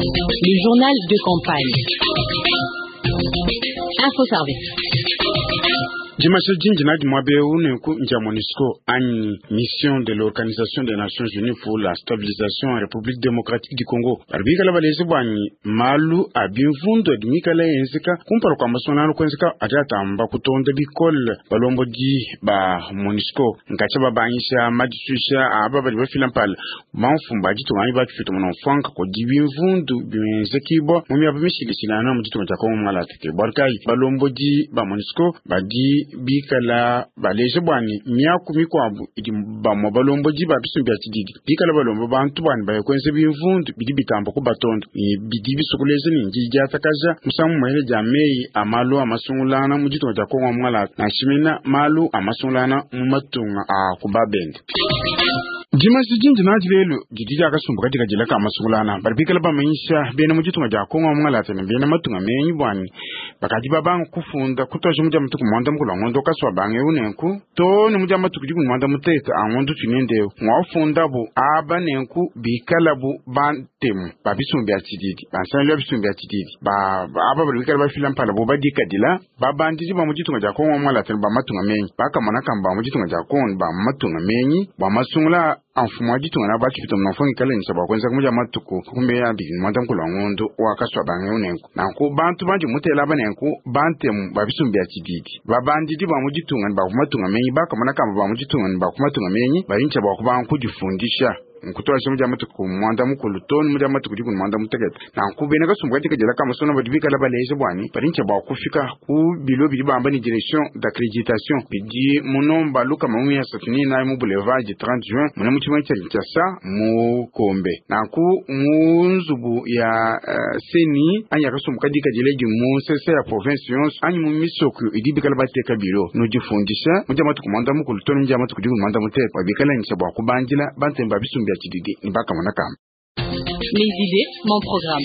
Le journal de campagne. Info Service. Dimasha dindi nadi muaba eu nenku ndia Monusco anyi Mission de l'Organisation des Nations Unies pour la Stabilisation en Republique Democratique du Congo badi bikala baleja buanyi malu a bimvundu adi mikala enzeka kumpala kua masungulangana kuenzeka adi atamba kutonda bikole balombodi ba Monusco nkatshia babangisha madisuisha aba badi bafila mpala bamfumu ba ditunga anyi ba tshifita muna-mfuanka kudi bimvundu bienzekibua mu miaba mishilashilangana mu ditunga dia Congo Mungalata. Ke bualu kayi balombodi ba Monusco badi bikala baleja bua ne miaku mikuabu idi bamue balombodi ba bisumbu bia tshididi bikala balomba bantu bua ne baye kuenza bimvundu bidi bitamba kubatonda ne bidi bisua kuleja ne ndidiatakaja musangu muele dia meyi a malu a masungulangana mu ditunga dia Congo Mungalata nansha mena malu a masungulangana mu matunga a ku babende. Dimanshi dindi nadi lelu didi dia kasumbu kadikadila ka masungulangana badi bikala bamanyisha bena mu ditunga dia Congo Mungalata ne bena matunga menyi bua ne bakadi babanga kufunda kutuadija mu dia matuku muanda mukulu a ngondo kasua banga eu nenku too ne mu dia matuku dikumi muanda mutekete a ngondo tunende eu muafundabu aba nenku bikalabu bantemu ba bisumbu bia tshididi bansangilu ya bisumbu bia tshididi ba aba badi bikala bafila mpala bu badikadila babandidi ba mu ditunga dia Congo Mungalata ne ba matunga menyi bakamona kamba ba mu ditunga dia Congo ne ba matunga menyi bua masungula a mfumu wa ditunga na ba tshipita munamfu ngikale ne bua kuenza mu dia matuku 21 muanda mukulu wa ngondo wa kasua banga eu nenku nanku bantu bandi mutela aba nenku bantemu ba bisumbu bia tshididi babandidi ba mu ditunga ne ba ku matunga menyi bakamona kamba ba mu ditunga ne ba ku matunga menyi badi ne bua kubanga kudifundisha nkutuadija mu dia matuku muanda mukulu too ne mu dia matuku 16. Nanku bena kasumbu kadikadila ka masungula badi bikala baleja bua ne badi ne bua kufika ku bilo bidi bamba ne direction d'accreditation bidi mu nomba 134 mu boulevard du 30 juin muna mu tshimenga tshia Kinshasa mu Kombe. Nanku mu nzubu ya CENI anyi ya kasumbu kadikadila idi mu nsese ya province yonso anyi mu misoko idi bikala bateka bilo nudifundisha mu dia matuku muanda mukulu too ne mu dia matuku 16 bua bikala ne bua kubandila bantemu ba bisumbu bia tshididi ne bakamona kamba. Mes idées, mon programme.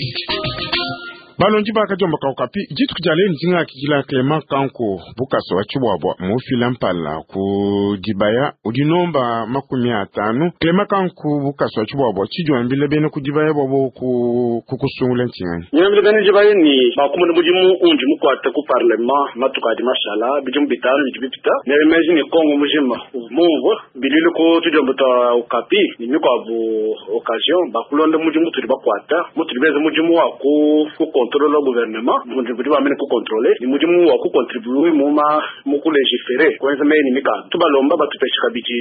Balongi bakadiomba Okapi dituku dia lelu ndingakidila Clement Kanku Bukasa wa Tshibuabua mufila mpala ku dibaya udi nomba 50. Clement Kanku Bukasa wa Tshibuabua tshidiwambila bena ku dibaya bwabo ku kukusungula ntshinganyi? Nyambila bena dibaya ni bakumuna mudimu undi mukuata ku parlement matuku adi mashala bidimu 5 bidi bipita nemeji ni Kongo mujima mumvua bilili ku tudiomba twa Okapi ni mikuabu occasion bakulonda mudimu tudi bakuata mutudi beza mudimu wa ku contrôler le gouvernement budi bamene ku contrôler ni mudimu wa ku contribuer mu ma mu ku légiférer kwenza meyi ni mikanda tubalomba batupesha kabidi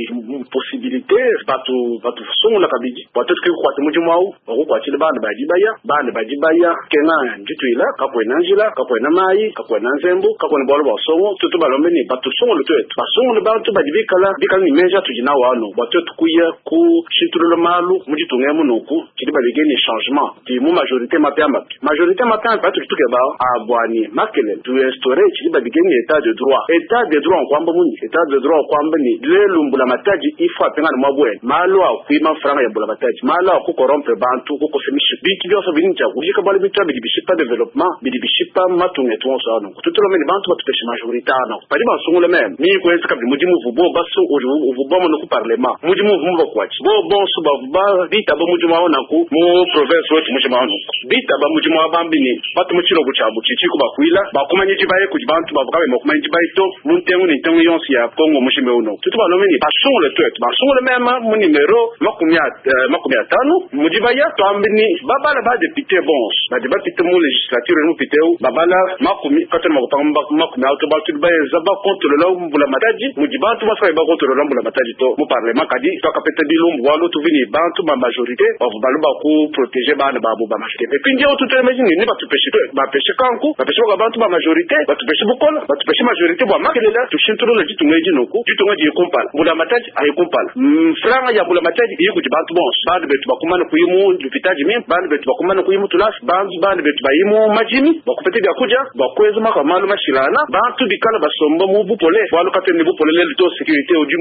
possibilité batu batusungula kabidi bua tuetu kukuata mudimu awu bakukuatshila bana badi baya bana badi baya kenga ndituila kakuena njila kakuena mayi kakuena nzembu kakuena bualu bua songo tutu balombe ni batusungule tuetu basungule bantu badi bikala bikala ni meji atudi nawu anu bua tuetu kuya kushintulula malu mu ditunga emu nunku tshidi babike ni changement ti mu majorité mapiamapi majorité mapiamapi atudi tukeba abuani makelele tu instaurer tshidi babike ni état de droit. État de droit nkwamba muni état de droit nkwamba ni lelu mbula matadi ifo apengana mwa bwene malu akuima franga ya mbula matadi malu akukorrompre bantu kukosa mishiku bintu byonso bini nja kujika bwale bintu bidi bishipa développement bidi bishipa matunga etu onso ano tutulomeni bantu batupeshe majorité ano badi basungule meme mi kwenza kabidi mudimu uvu bo basu uvu bomo no ku parlement mudimu uvu mu bakuachi bo bonso bavu bitaba mudimu awo naku mu province wetu mujima awo nuku bitaba mudimu wa bambini batu mu tshilobo tshiabu tshitshi kubakuila bakumanya dibaye kudi bantu bavu kabe bakumanya dibaye to mu ntengu ni ntengu yonso ya Kongo mujima uno tutu balomeni basungule tuetu basungule meme mu numero 50 mu dibaya twambini babala ba député bonso badi bapite mu législature mu piteu babala makumi katona makupanga makumi auto batu bayenza bakontrôler mbula matadi mudi bantu basaka bakontrôler mbula matadi to mu parlement kadi twakapeta bilumbu bualu tuvini bantu ba majorité bavu balu baku protéger bana babo ba majorité et puis ndio tutelemeji ni batupeshe bapeshe kanku bapeshe baka bantu ba majorité batupeshe bukola batupeshe majorité bua makelela tushintulula ditunga edi nuku ditunga diyi kumpala mbula matadi ayi kumpala mfranga ya mbula matadi iyi kudi bantu bonso bantu betu bakumana kuyi mu lupitadi mimpe bantu betu bakumana kuyi mu tulasi bantu bana betu bayi mu madimi bakupeta Bapete biakudia bua kuenza maka malu mashilana, bantu bikala basomba mu bupole, bualu katuena ne bupole lelu to. Sécurité udi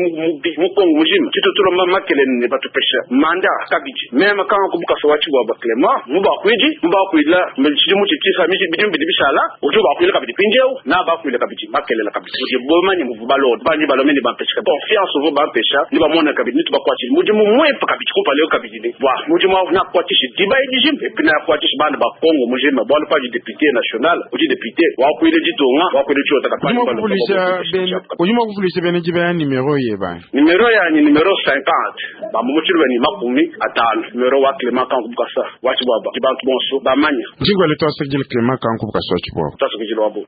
mu Kongo mujima. Tshitutulomba makelele ne batupesha mandat kabidi. Meme Kanku Bukasa wa Tshibwabwa Clement mubakuidi mubakuila tshidimu tshitshisa bidimu bidi bishala udi ubakuila kabidi mpindieu na bakuila kabidi makelela kabidi udi bomanye muvu balonda banyi balome ne bampesha confiance uvu bampesha ne bamona kabidi nitubakuatshile mudimu muimpe kabidi kumpala kabidi ne bua mudimu awu nakuatshishe diba edi jimpe epi nakuatshishe bana ba Kongo mujima, bualu padi député national udi député wakuile ditunga wakuile tshiota. Udi mua kuvulisha bene diba ya numero yeba? Numero yanyi numero 50, bamumutshilu ni 50, numero wa Clement Kanku Bukasa wa Tshibwabwa, bantu bonso bamanya. Njingwale, twasakidila Clement Kanku Bukasa wa Tshibwabwa. Twasakidila wabo.